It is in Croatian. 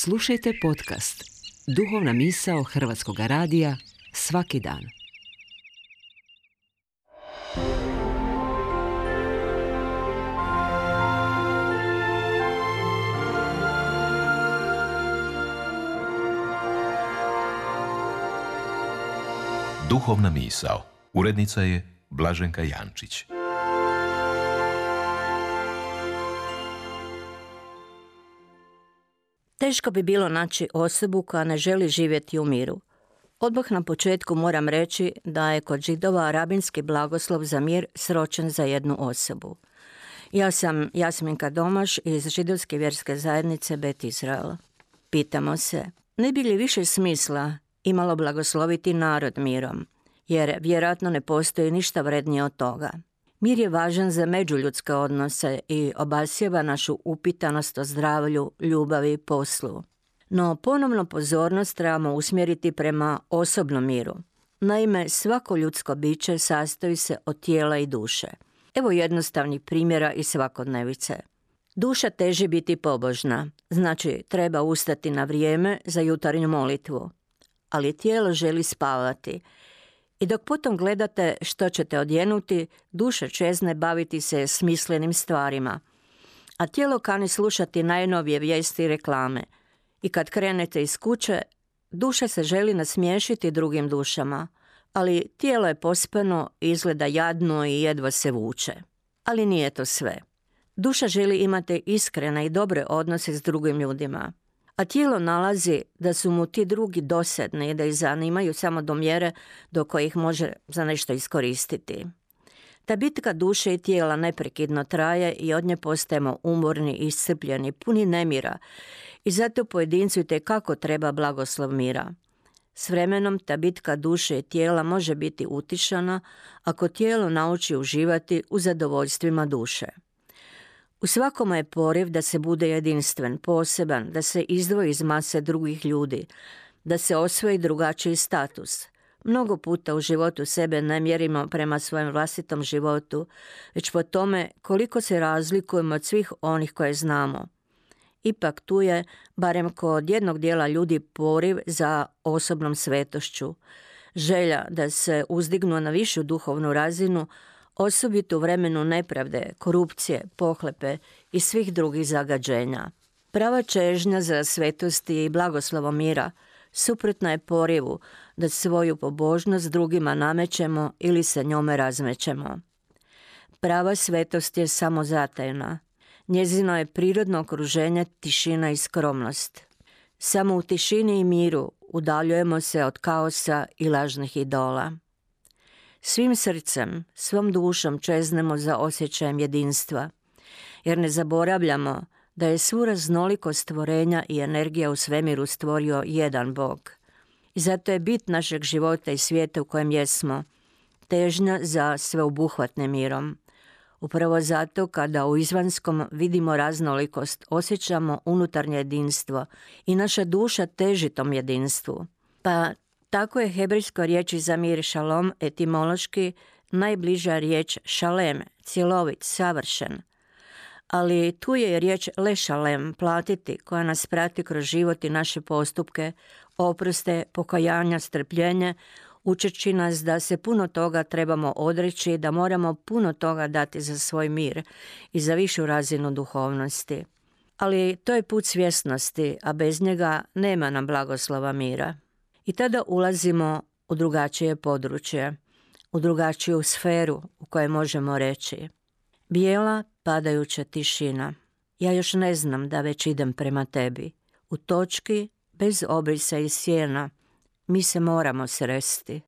Slušajte podcast Duhovna misao Hrvatskog radija svaki dan. Duhovna misao. Urednica je Blaženka Jančić. Teško bi bilo naći osobu koja ne želi živjeti u miru. Odmah na početku moram reći da je kod Židova rabinski blagoslov za mir sročen za jednu osobu. Ja sam Jasminka Domaš iz židovske vjerske zajednice Bet Izrael. Pitamo se, ne bi li više smisla imalo blagosloviti narod mirom, jer vjerojatno ne postoji ništa vrednije od toga. Mir je važan za međuljudske odnose i obasjeva našu upitanost o zdravlju, ljubavi i poslu. No ponovno pozornost trebamo usmjeriti prema osobnom miru. Naime, svako ljudsko biće sastoji se od tijela i duše. Evo jednostavnih primjera iz svakodnevice. Duša teži biti pobožna, znači treba ustati na vrijeme za jutarnju molitvu. Ali tijelo želi spavati. I dok potom gledate što ćete odjenuti, duša čezne baviti se smislenim stvarima. A tijelo kani slušati najnovije vijesti i reklame. I kad krenete iz kuće, duša se želi nasmiješiti drugim dušama. Ali tijelo je pospano, izgleda jadno i jedva se vuče. Ali nije to sve. Duša želi imati iskrene i dobre odnose s drugim ljudima. A tijelo nalazi da su mu ti drugi dosadni i da ih zanimaju samo do mjere do kojih može za nešto iskoristiti. Ta bitka duše i tijela neprekidno traje i od nje postajemo umorni, iscrpljeni, puni nemira i zato pojedincu itekako treba blagoslov mira. S vremenom ta bitka duše i tijela može biti utišana ako tijelo nauči uživati u zadovoljstvima duše. U svakome je poriv da se bude jedinstven, poseban, da se izdvoji iz mase drugih ljudi, da se osvoji drugačiji status. Mnogo puta u životu sebe ne mjerimo prema svojem vlastitom životu, već po tome koliko se razlikujemo od svih onih koje znamo. Ipak tu je, barem kod jednog dijela ljudi, poriv za osobnom svetošću, želja da se uzdignu na višu duhovnu razinu, osobito u vremenu nepravde, korupcije, pohlepe i svih drugih zagađenja. Prava čežnja za svetosti i blagoslovom mira suprotna je porivu da svoju pobožnost drugima namećemo ili se njome razmećemo. Prava svetost je samozatajna. Njezino je prirodno okruženje tišina i skromnost. Samo u tišini i miru udaljujemo se od kaosa i lažnih idola. Svim srcem, svom dušom čeznemo za osjećajem jedinstva, jer ne zaboravljamo da je svu raznolikost stvorenja i energija u svemiru stvorio jedan Bog. I zato je bit našeg života i svijeta u kojem jesmo težnja za sveobuhvatnim mirom. Upravo zato kada u izvanskom vidimo raznolikost, osjećamo unutarnje jedinstvo i naša duša teži tom jedinstvu. Pa tako je hebrejskoj riječi za mir šalom etimološki najbliža riječ šalem, cjelovit, savršen. Ali tu je riječ lešalem, platiti, koja nas prati kroz život i naše postupke, oproste, pokajanja, strpljenje, učeći nas da se puno toga trebamo odreći, da moramo puno toga dati za svoj mir i za višu razinu duhovnosti. Ali to je put svjesnosti, a bez njega nema nam blagoslova mira. I tada ulazimo u drugačije područje, u drugačiju sferu u kojoj možemo reći: bijela padajuća tišina. Ja još ne znam da već idem prema tebi. U točki bez obrisa i sjena mi se moramo sresti.